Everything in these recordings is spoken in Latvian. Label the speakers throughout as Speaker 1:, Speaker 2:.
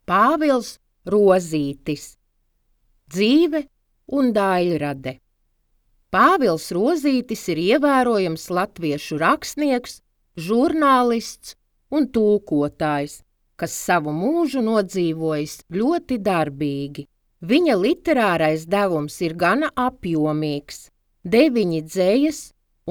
Speaker 1: Pāvils Rozītis. Dzīve un daļrade. Pāvils Rozītis ir ievērojams latviešu rakstnieks, žurnālists un tulkotājs, kas savu mūžu nodzīvojis ļoti darbīgi. Viņa literārais devums ir gana apjomīgs – 9 dzejas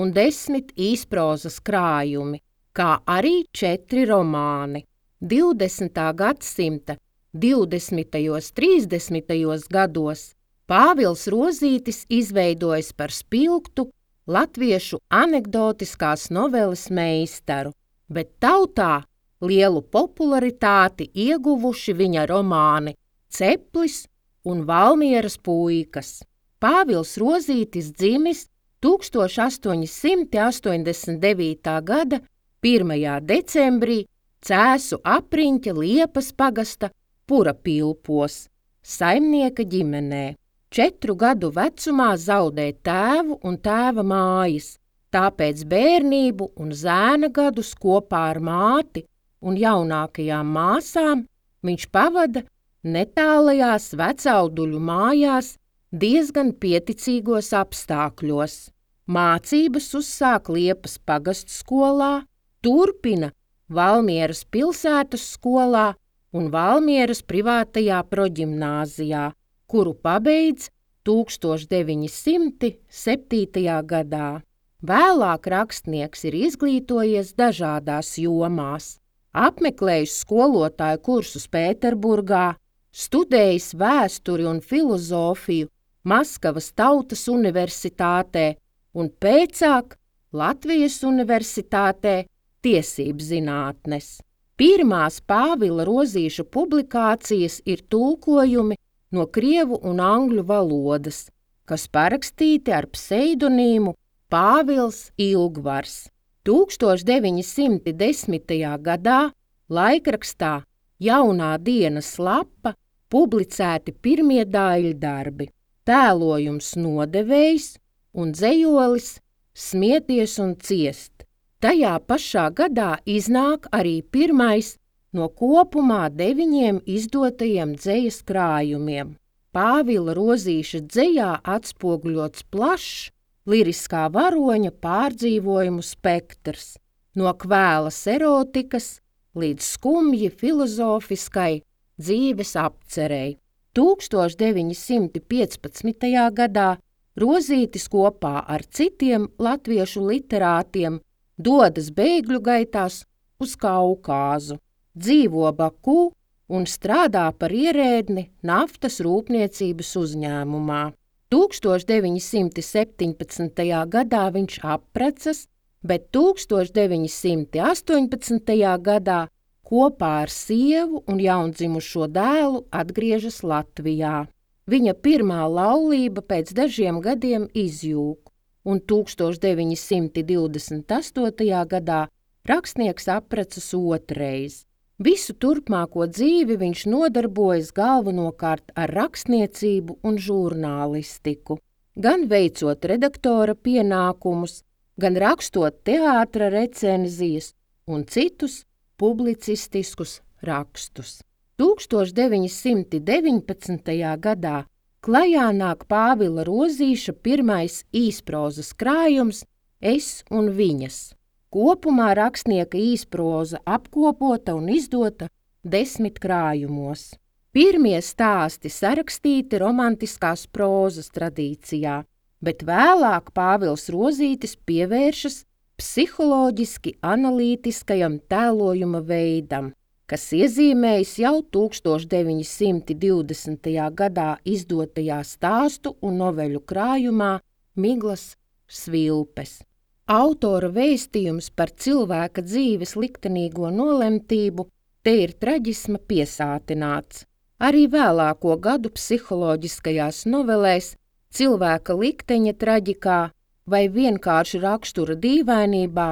Speaker 1: un 10 īsprozas krājumi, kā arī 4 romāni. 20. gadsimta 20. 30. gados Pāvils Rozītis izveidojis par spilgtu latviešu anekdotiskās noveles meistaru, bet tautā lielu popularitāti ieguvuši viņa romāni Ceplis un Valmieras puikas. Pāvils Rozītis dzimis 1889. gada 1. decembrī Cēsu apriņķa Liepas pagasta Purapilpos, saimnieka ģimenē. 4 gadu vecumā zaudē tēvu un tēva mājas, tāpēc bērnību un zēna gadus kopā ar māti un jaunākajām māsām viņš pavada netālajās vecauduļu mājās diezgan pieticīgos apstākļos. Mācības uzsāk Liepas pagastu skolā, turpina Valmieras pilsētas skolā un Valmieras privātajā proģimnāzijā, kuru pabeidz 1907. gadā. Vēlāk rakstnieks ir izglītojies dažādās jomās, apmeklējis skolotāju kursus Pēterburgā, studējis vēsturi un filozofiju Maskavas Tautas universitātē un pēcāk Latvijas universitātē tiesības zinātnes. Pirmās Pāvila Rozīša publikācijas ir tulkojumi no krievu un angļu valodas, kas parakstīti ar pseidonīmu Pāvils Ilgvars. 1910. gadā laikrakstā Jaunā dienas lapa publicēti pirmie daļdarbi – tēlojums Nodevējs un dzejolis Smieties un ciest. Tajā pašā gadā iznāk arī pirmais no kopumā 9 izdotajiem dzejas krājumiem. Pāvila Rozīša dzejā atspoguļots plašs liriskā varoņa pārdzīvojumu spektrs, no kvēlas erotikas līdz skumji filozofiskai dzīves apcerei. 1915. gadā Rozītis kopā ar citiem latviešu literātiem dodas bēgļu gaitās uz Kaukāzu, dzīvo Baku un strādā par ierēdni naftas rūpniecības uzņēmumā. 1917. gadā viņš apprecas, bet 1918. gadā kopā ar sievu un jaundzimušo dēlu atgriežas Latvijā. Viņa pirmā laulība pēc dažiem gadiem izjūg, un 1928. gadā rakstnieks apprecas otrais. Visu turpmāko dzīvi viņš nodarbojas galvenokārt ar rakstniecību un žurnālistiku, gan veicot redaktora pienākumus, gan rakstot teātra recenzijas un citus publicistiskus rakstus. 1919. gadā klajā nāk Pāvila Rozīša pirmais īsprozas krājums Es un viņas. Kopumā rakstnieka īsproza apkopota un izdota 10 krājumos. Pirmie stāsti sarakstīti romantiskās prózas tradīcijā, bet vēlāk Pāvils Rozītis pievēršas psiholoģiski analītiskajam tēlojuma veidam, kas iezīmējis jau 1920. gadā izdotajā stāstu un noveļu krājumā Miglas svilpes. Autora vēstījums par cilvēka dzīves liktenīgo nolemtību te ir traģisma piesātināts. Arī vēlāko gadu psiholoģiskajās novelēs cilvēka likteņa traģikā vai vienkārši rakstura dīvainībā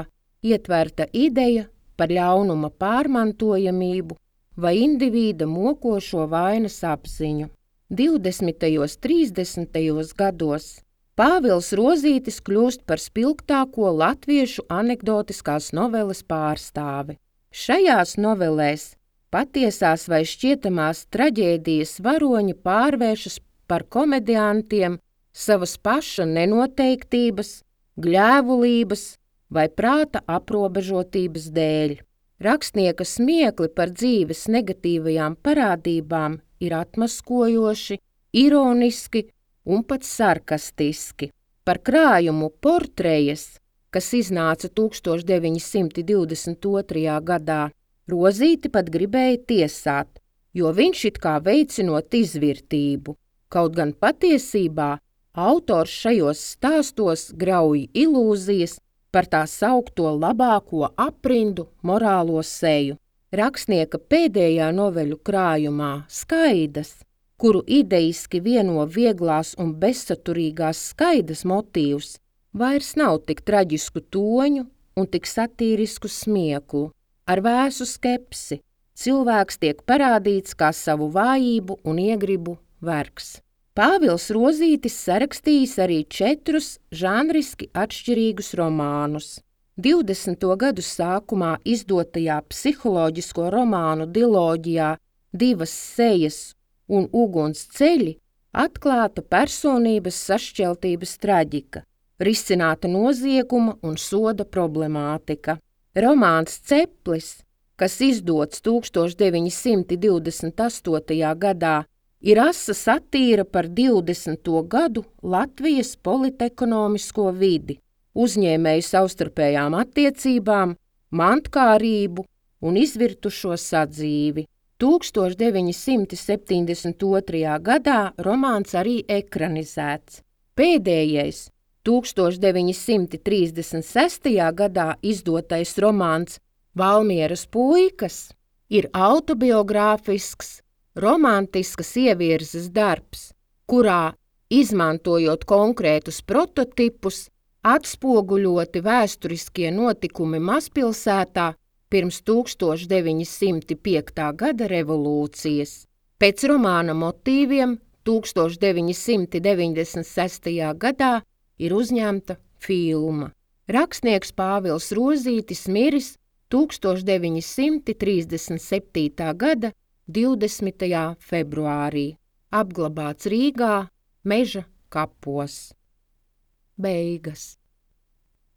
Speaker 1: ietverta ideja par ļaunuma pārmantojamību vai indivīda mokošo vainas apziņu. 20. 30. gados Pāvils Rozītis kļūst par spilgtāko latviešu anekdotiskās noveles pārstāvi. Šajās novelēs Patiesās vai šķietamās traģēdijas varoņi pārvēršas par komediantiem savas paša nenoteiktības, gļēvulības vai prāta aprobežotības dēļ. Rakstnieka smiekli par dzīves negatīvajām parādībām ir atmaskojoši, ironiski un pat sarkastiski. Par krājumu Portrejas, kas iznāca 1922. gadā, Rozīti pat gribēja tiesāt, jo viņš it kā veicinot izvirtību, kaut gan patiesībā autors šajos stāstos grauj ilūzijas par tā saukto labāko aprindu morālo seju. Rakstnieka pēdējā noveļu krājumā Skaidas, kuru idejiski vieno vieglās un bezsaturīgās skaidas motīvs, vairs nav tik traģisku toņu un tik satīrisku smieklu. Ar vēsu skepsi cilvēks tiek parādīts kā savu vājību un iegribu vergs. Pāvils Rozītis sarakstījis arī 4 žanriski atšķirīgus romānus. 20. gadu sākumā izdotajā psiholoģisko romānu diloģijā Divas sejas un Uguns ceļi atklāta personības sašķeltības traģika, risināta nozieguma un soda problemātika. Romāns Ceplis, kas izdots 1928. gadā, ir asa satīra par 20. gadu Latvijas politekonomisko vidi, uzņēmēju savstarpējām attiecībām, mantkārību un izvirtušo sadzīvi. 1972. gadā romāns arī ekranizēts. Pēdējais 1936. gadā izdotais romāns Valmieras puikas ir autobiogrāfisks, romantiskas ievirzes darbs, kurā, izmantojot konkrētus prototipus, atspoguļoti vēsturiskie notikumi mazpilsētā pirms 1905. gada revolūcijas. Pēc romāna motīviem 1996. gadā ir uzņemta filma. Rakstnieks Pāvils Rozītis miris 1937. gada 20. februārī, apglabāts Rīgā Meža kapos. Beigas.